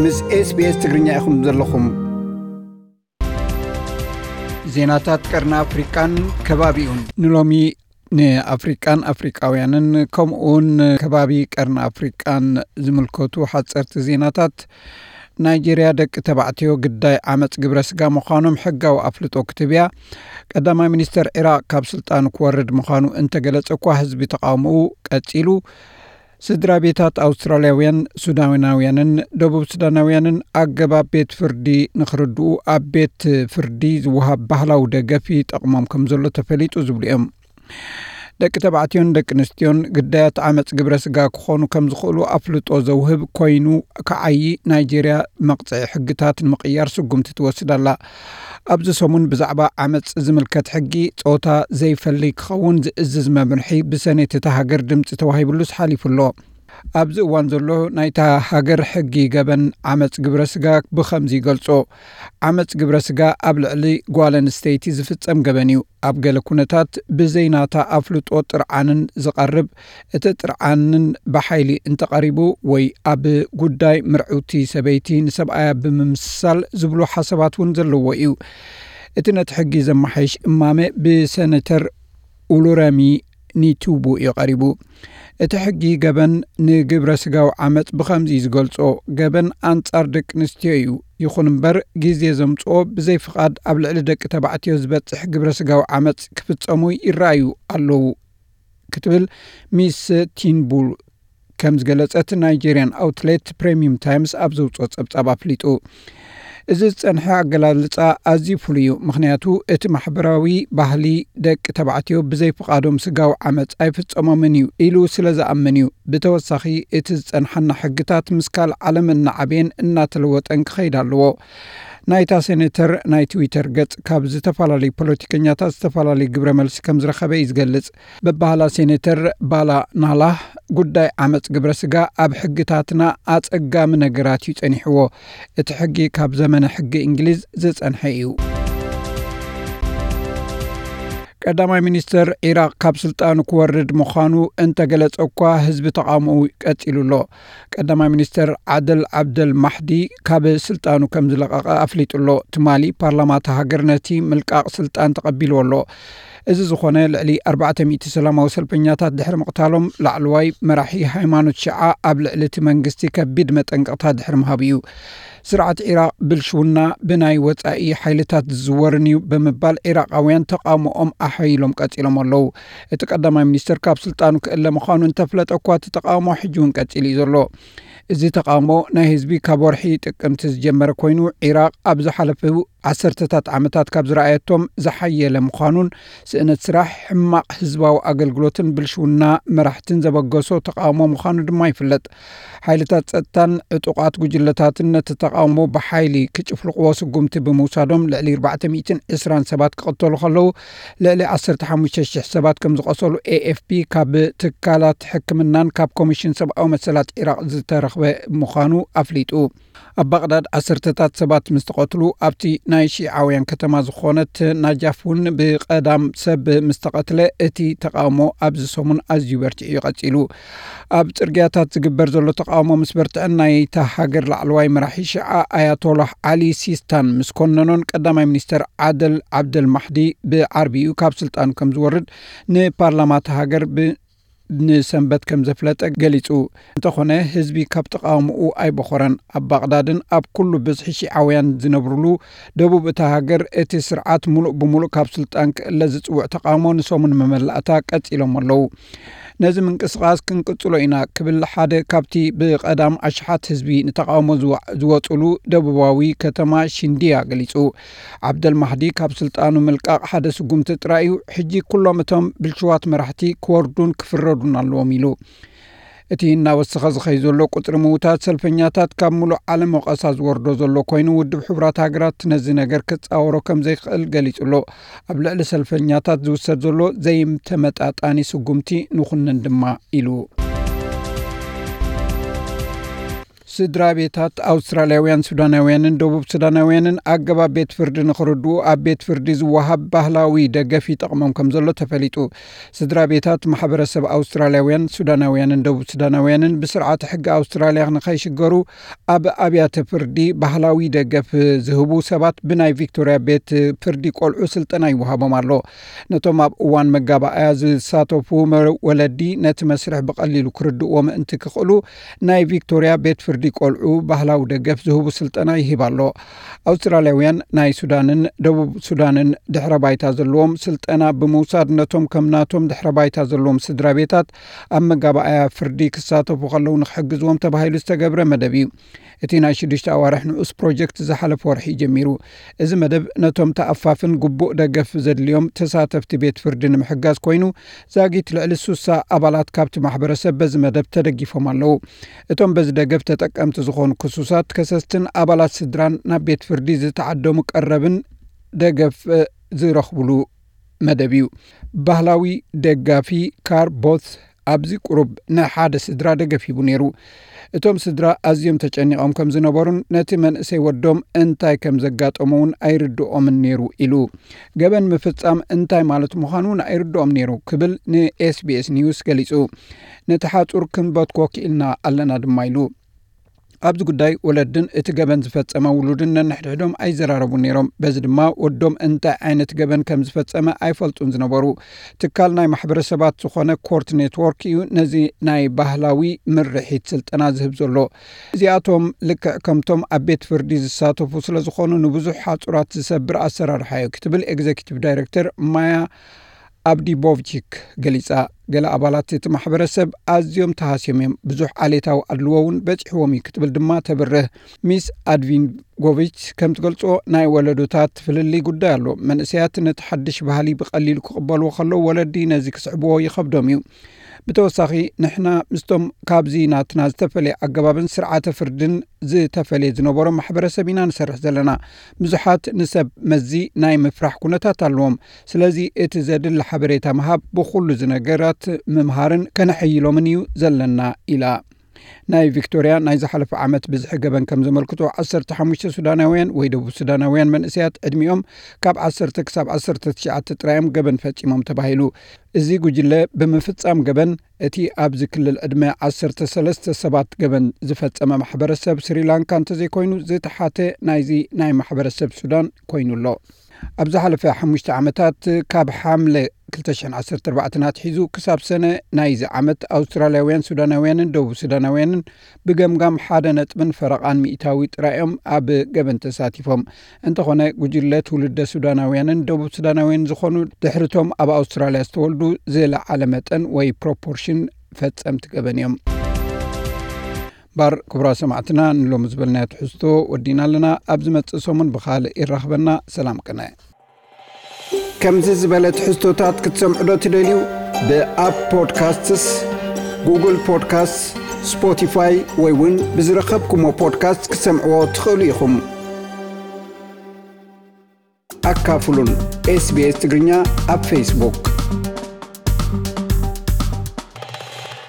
ምስ SBS ትግርኛ ኢኹም ዘለኹም። ዜናታት ቀርኒ ኣፍሪቃን ከባቢኡን። ንሎሚ ንኣፍሪቃን ኣፍሪቃውያንን ከምኡውን ከባቢ ቀርኒ ኣፍሪቃን ዝምልከቱ ሓጸርቲ ዜናታት። ናይጄርያ ደቂ ተባዕትዮ ግዳይ ዓመጽ ግብረ ስጋ ምዃኖም ሕጋዊ ኣፍልጦ ክትህብ እያ። ቀዳማይ ሚኒስተር ዒራቕ ካብ ስልጣኑ ክወርድ ምዃኑ እንተገለጸ እኳ፣ ህዝቢ ተቓውሞኡ ቀጺሉ። ስድራ ቤታት ኣውስትራልያውያን፣ ሱዳናውያንን ደቡብ ሱዳናውያንን ኣገባብ ቤት ፍርዲ ንኽርድኡ ኣብ ቤት ፍርዲ ዝወሃብ ባህላዊ ደገፍ ይጠቕሞም ከም ዘሎ ተፈሊጡ ዝብሉ እዮም። ደቂ ተባዕትዮን ደቂ ኣንስትዮን ግዳያት ዓመጽ ግብረ ስጋ ክኾኑ ከም ዝኽእሉ ኣፍልጦ ዘውህብ ኮይኑ፣ ክዓዪ ናይጄርያ መቕጽዒ ሕግታት ንምቕያር ስጉምቲ ትወስድ ኣላ። ኣብዚ ሰሙን ብዛዕባ ዓመጽ ዝምልከት ሕጊ፣ ጾታ ዘይፈሊ ክኸውን ዝእዝዝ መምርሒ ብሰኔት እታ ሃገር ድምጺ ተዋሂብሉስ ሓሊፉ ኣሎ። ኣብዚ እዋን ዘሎ ናይታ ሃገር ሕጊ ገበን ዓመጽ ግብረ ስጋ ብኸምዚ ይገልጾ። ዓመጽ ግብረ ስጋ ኣብ ልዕሊ ጓል ኣንስተይቲ ዝፍጸም ገበን እዩ። ኣብ ገለ ኩነታት ብዘይ ናታ ኣፍልጦ ጥርዓንን ዝቐርብ፣ እቲ ጥርዓንን ብሓይሊ እንተቐሪቡ ወይ ኣብ ጉዳይ ምርዕውቲ ሰበይቲ ንሰብኣያ ብምምስሳል ዝብሉ ሓሳባት እውን ዘለዎ እዩ። እቲ ነቲ ሕጊ ዘመሓይሽ እማመ ብሰነተር ኡሉረሚ ኒቱቡ እዩ ቀሪቡ። እቲ ሕጊ ገበን ንግብረ ስጋዊ ዓመጽ ብኸምዚ እዩ ዝገልጾ። ገበን ኣንጻር ደቂ ኣንስትዮ እዩ። ይኹን እምበር፣ ግዜ ዘምጽኦ ብዘይ ፍቓድ ኣብ ልዕሊ ደቂ ተባዕትዮ ዝበጽሕ ግብረ ስጋዊ ዓመጽ ክፍጸሙ ይረኣዩ ኣለዉ፣ ክትብል ሚስ ቲንቡል ከም ዝገለጸት ናይጄርያን ኣውትሌት ፕሬሚየም ታይምስ ኣብ ዘውጽኦ ጸብጻብ ኣፍሊጡ። እዚ ዝጸንሐ ኣገላልጻ ኣዝዩ ፍሉይ እዩ፣ ምኽንያቱ እቲ ማሕበራዊ ባህሊ ደቂ ተባዕትዮ ብዘይ ፍቓዶም ስጋዊ ዓመጽ ኣይፍጸሞምን እዩ ኢሉ ስለ ዝኣምን እዩ። ብተወሳኺ፣ እቲ ዝጸንሓና ሕግታት ምስ ካልእ ዓለም እናዓበየን እናተለወጠን ክኸይድ ኣለዎ። ናይታ ሴኔተር ናይ ትዊተር ገጽ ካብ ዝተፈላለዩ ፖለቲከኛታት ዝተፈላለዩ ግብረ መልሲ ከም ዝረኸበ እዩ ዝገልጽ። በባህላ ሴኔተር ባላ ናላህ፣ ጉዳይ ዓመጽ ግብረ ስጋ ኣብ ሕግታትና ኣጸጋሚ ነገራት እዩ ጸኒሕዎ። እቲ ሕጊ ካብ ዘመነ ሕጊ እንግሊዝ ዝጸንሐ እዩ። ቀዳማይ ሚኒስተር ዒራቕ ካብ ስልጣኑ ክወርድ ምዃኑ እንተገለጸ እኳ፣ ህዝቢ ተቓውሞኡ ቀጺሉ ኣሎ። ቀዳማይ ሚኒስተር ዓደል ዓብደል ማሕዲ ካብ ስልጣኑ ከም ዝለቐቐ ኣፍሊጡ ኣሎ። ትማሊ ፓርላማ እታ ሃገር ነቲ ምልቃቕ ስልጣን ተቐቢልዎ ኣሎ። እዚ ዝኾነ፣ ልዕሊ ኣርባዕተ ሚእቲ ሰላማዊ ሰልፈኛታት ድሕሪ ምቕታሎም፣ ላዕለዋይ መራሒ ሃይማኖት ሽዓ ኣብ ልዕሊ እቲ መንግስቲ ከቢድ መጠንቀቕታ ድሕሪ ምሃቡ እዩ። ስርዓት ዒራቕ ብልሽውና ብናይ ወጻኢ ሓይልታት ዝዝወርን እዩ ብምባል፣ ዒራቓውያን ተቓውሞኦም ኣሐይሎም ቀጺሎም ኣለዉ። እቲ ቀዳማይ ሚኒስተር ካብ ስልጣኑ ክእለ ምዃኑ እንተፍለጠ እኳ፣ እቲ ተቓውሞ ሕጂ እውን ቀጺሉ እዩ ዘሎ። እዚ ተቓውሞ ናይ ህዝቢ ካብ ወርሒ ጥቅምቲ ዝጀመረ ኮይኑ፣ ዒራቕ ኣብ ዝሓለፉ ዓሰርተታት ዓመታት ካብ ዝረኣየቶም ዝሓየለ ምዃኑን፣ ስእነት ስራሕ፣ ሕማቕ ህዝባዊ ኣገልግሎትን ብልሽውና መራሕትን ዘበገሶ ተቓውሞ ምዃኑ ድማ ይፍለጥ። ሓይልታት ጸጥታን ዕጡቓት ጉጅለታትን ነቲ ተቓውሞ ብሓይሊ ክጭፍልቕዎ ስጉምቲ ብምውሳዶም፣ ልዕሊ ኣርባዕተ ሚእትን ዕስራን ሰባት ክቕተሉ ከለዉ፣ ልዕሊ ዓሰርተ ሓሙሽተ ሽሕ ሰባት ከም ዝቖሰሉ ኤ ኤፍ ፒ ካብ ትካላት ሕክምናን ካብ ኮሚሽን ሰብኣዊ መሰላት ዒራቕ ዝተረኽበ ምዃኑ ኣፍሊጡ። ኣብ ባቕዳድ ዓሰርተታት ሰባት ምስ ተቐትሉ፣ ኣብቲ ናይ ሺዓውያን ከተማ ዝኾነት ናጃፍ እውን ብቐዳም ሰብ ምስ ተቐትለ፣ እቲ ተቓውሞ ኣብዚ ሰሙን ኣዝዩ በርቲዑ እዩ ቀጺሉ። ኣብ ጽርግያታት ዝግበር ዘሎ ተቓውሞ ምስ በርትዐን፣ ናይታ ሃገር ላዕለዋይ መራሒ ሽዓ ኣያቶላህ ዓሊ ሲስታን ምስ ኮነኖን፣ ቀዳማይ ሚኒስተር ዓደል ዓብደል ማሕዲ ብዓርቢ እዩ ካብ ስልጣኑ ከም ዝወርድ ንፓርላማ እታ ሃገር ብ-፣ ንሰንበት ከም ዘፍለጠ ገሊጹ። እንተኾነ፣ ህዝቢ ካብ ተቓውሞኡ ኣይበኾረን። ኣብ ባቕዳድን ኣብ ኩሉ ብዝሒ ሺዓውያን ዝነብሩሉ ደቡብ እታ ሃገር፣ እቲ ስርዓት ምሉእ ብምሉእ ካብ ስልጣን ክእለ ዝጽውዕ ተቓውሞ ንሰሙን መመላእታ ቀጺሎም ኣለዉ። ነዚ ምንቅስቓስ ክንቅጽሎ ኢና ክብል ሓደ ካብቲ ብቐዳም ኣሽሓት ህዝቢ ንተቓውሞ ዝወ-፣ ዝወጹሉ ደቡባዊ ከተማ ሽንድያ ገሊጹ። ዓብደል ማህዲ ካብ ስልጣኑ ምልቃቕ ሓደ ስጉምቲ ጥራይ እዩ። ሕጂ ኩሎም እቶም ብልሽዋት መራሕቲ ክወርዱን ክፍረዱን ኣለዎም ኢሉ። እቲ እናወሰኸ ዝኸይ ዘሎ ቁጽሪ ምውታት ሰልፈኛታት ካብ ምሉእ ዓለም ወቐሳ ዝወርዶ ዘሎ ኮይኑ፣ ውድብ ሕቡራት ሃገራት ነዚ ነገር ክጻወሮ ከም ዘይክእል ገሊጹ ኣሎ። ኣብ ልዕሊ ሰልፈኛታት ዝውሰድ ዘሎ ዘይተመጣጣኒ ስጉምቲ ንኹንን ድማ ኢሉ። ስድራ ቤታት ኣውስትራልያውያን ሱዳናውያንን ደቡብ ሱዳናውያንን ኣገባብ ቤት ፍርዲ ንኽርድኡ ኣብ ቤት ፍርዲ ዝወሃብ ባህላዊ ደገፍ ይጠቕሞም ከም ዘሎ ተፈሊጡ። ስድራ ቤታት ማሕበረሰብ ኣውስትራልያውያን ሱዳናውያንን ደቡብ ሱዳናውያንን ብስርዓተ ሕጊ ኣውስትራልያ ንኸይሽገሩ ኣብ ኣብያተ ፍርዲ ባህላዊ ደገፍ ዝህቡ ሰባት ብናይ ቪክቶርያ ቤት ፍርዲ ቆልዑ ስልጠና ይወሃቦም ኣሎ። ነቶም ኣብ እዋን መጋባእያ ዝሳተፉ መ-፣ ወለዲ ነቲ መስርሕ ብቐሊሉ ክርድእዎ ምእንቲ ክኽእሉ ናይ ቪክቶርያ ቤት ፍርዲ ቆልዑ ባህላዊ ደገፍ ዝህቡ ስልጠና ይህብ ኣሎ። ኣውስትራልያውያን ናይ ሱዳንን ደቡብ ሱዳንን ድሕረ ባይታ ዘለዎም ስልጠና ብምውሳድ ነቶም ከም ናቶም ድሕረ ባይታ ዘለዎም ስድራ ቤታት ኣብ መጋባእያ ፍርዲ ክሳተፉ ከለዉ ንክሕግዝዎም ተባሂሉ ዝተገብረ መደብ እዩ። እቲ ናይ ሽዱሽተ ኣዋርሕ ንኡስ ፕሮጀክት ዝሓለፈ ወርሒ እዩ ጀሚሩ። እዚ መደብ ነቶም ተኣፋፍን ግቡእ ደገፍ ዘድልዮም ተሳተፍቲ ቤት ፍርዲ ንምሕጋዝ ኮይኑ፣ ዛጊት ልዕሊ ሱሳ ኣባላት ካብቲ ማሕበረሰብ በዚ መደብ ተደጊፎም ኣለዉ። እቶም በዚ ደገፍ ተጠቀምቲ ዝኾኑ ክሱሳት ከሰስትን ኣባላት ስድራን ናብ ቤት ፍርዲ ዝተዓደሙ ቀረብን ደገፍ ዝረኽብሉ መደብ እዩ። ባህላዊ ደጋፊ ካር ቦት ኣብዚ ቁሩብ ንሓደ ስድራ ደገፍ ሂቡ ነይሩ። እቶም ስድራ ኣዝዮም ተጨኒቖም ከም ዝነበሩን ነቲ መንእሰይ ወዶም እንታይ ከም ዘጋጠሞ እውን ኣይርድኦምን ነይሩ ኢሉ። ገበን ምፍጻም እንታይ ማለት ምዃኑ እውን ኣይርድኦም ነይሩ ክብል ንኤስቢኤስ ኒውስ ገሊጹ። ነቲ ሓጹር ክንበትኮ ክኢልና ኣለና ድማ ኢሉ። ኣብዚ ጉዳይ ወለድን እቲ ገበን ዝፈጸመ ውሉድን ነንሕድሕዶም ኣይዘራረቡን ነይሮም። በዚ ድማ ወዶም እንታይ ዓይነት ገበን ከም ዝፈጸመ ኣይፈልጡን ዝነበሩ። ትካል ናይ ማሕበረሰባት ዝኾነ ኮርት ኔትወርክ እዩ ነዚ ናይ ባህላዊ ምርሒት ስልጠና ዝህብ ዘሎ። እዚኣቶም ልክዕ ከምቶም ኣብ ቤት ፍርዲ ዝሳተፉ ስለ ዝኾኑ ንብዙሕ ሓጹራት ዝሰብር ኣሰራርሓ እዩ ክትብል ኤግዜኪቲቭ ዳይሬክተር ማያ ኣብዲቦቭቺክ ገሊጻ። ገለ ኣባላት እቲ ማሕበረሰብ ኣዝዮም ተሃስዮም እዮም፣ ብዙሕ ዓሌታዊ ኣድልዎ እውን በጺሕዎም እዩ ክትብል ድማ ተብርህ። ሚስ ኣድቪንጎቪች ከም ትገልጾ ናይ ወለዶታት ፍልልይ ጉዳይ ኣሎ። መንእሰያት ነቲ ሓድሽ ባህሊ ብቐሊሉ ክቕበልዎ ከለዉ ወለዲ ነዚ ክስዕብዎ ይኸብዶም እዩ። ብተወሳኺ ንሕና ምስቶም ካብዚ ናትና ዝተፈለየ ኣገባብን ስርዓተ ፍርድን ዝተፈለየ ዝነበሮ ማሕበረሰብ ኢና ንሰርሕ ዘለና። ብዙሓት ንሰብ መዚ ናይ ምፍራሕ ኩነታት ኣለዎም። ስለዚ እቲ ዘድሊ ሓበሬታ ምሃብ ብኹሉ እዚ ነገራት ምምሃርን ከነሐይሎምን እዩ ዘለና ኢላ። ናይ ቪክቶርያ ናይ ዝሓለፈ ዓመት ብዝሒ ገበን ከም ዘመልክቶ ዓሰርተ ሓሙሽተ ሱዳናውያን ወይ ደቡብ ሱዳናውያን መንእሰያት ዕድሚኦም ካብ ዓሰርተ ክሳብ ዓሰርተ ትሽዓተ ጥራዮም ገበን ፈጺሞም ተባሂሉ። እዚ ጉጅለ ብምፍጻም ገበን እቲ ኣብዚ ክልል ዕድመ ዓሰርተ ሰለስተ ሰባት ገበን ዝፈጸመ ማሕበረሰብ ስሪላንካ እንተዘይኮይኑ ዝተሓተ ናይዚ ናይ ማሕበረሰብ ሱዳን ኮይኑ ኣሎ። ኣብ ዝሓለፈ ሓሙሽተ ዓመታት ካብ ሓምለ ክልተ ሽሕን ዓሰርተ ኣርባዕተን ኣትሒዙ ክሳብ ሰነ ናይዚ ዓመት ኣውስትራልያውያን ሱዳናውያንን ደቡብ ሱዳናውያንን ብገምጋም ሓደ ነጥብን ፈረቓን ሚእታዊ ጥራይ እዮም ኣብ ገበን ተሳቲፎም። እንተኾነ ጉጅለ ትውልደ ሱዳናውያንን ደቡብ ሱዳናውያን ዝኾኑ ድሕርቶም ኣብ ኣውስትራልያ ዝተወልዱ ዝለዓለ መጠን ወይ ፕሮፖርሽን ፈጸምቲ ገበን እዮም። ባር ክቡራ ሰማዕትና ንሎሚ ዝበልናዮ ትሕዝቶ ወዲና ኣለና። ኣብ ዝመጽእ ሰሙን ብኻልእ ይራኽበና። ሰላም ቅነ። ከምዚ ዝበለ ትሕዝቶታት ክትሰምዑ ዶ ትደልዩ? ብኣፕ ፖድካስትስ፣ ጉግል ፖድካስትስ፣ ስፖቲፋይ ወይ እውን ብዝረኸብኩሞ ፖድካስት ክትሰምዕዎ ትኽእሉ ኢኹም። ኣካፍሉን። ኤስቢኤስ ትግርኛ ኣብ ፌስቡክ።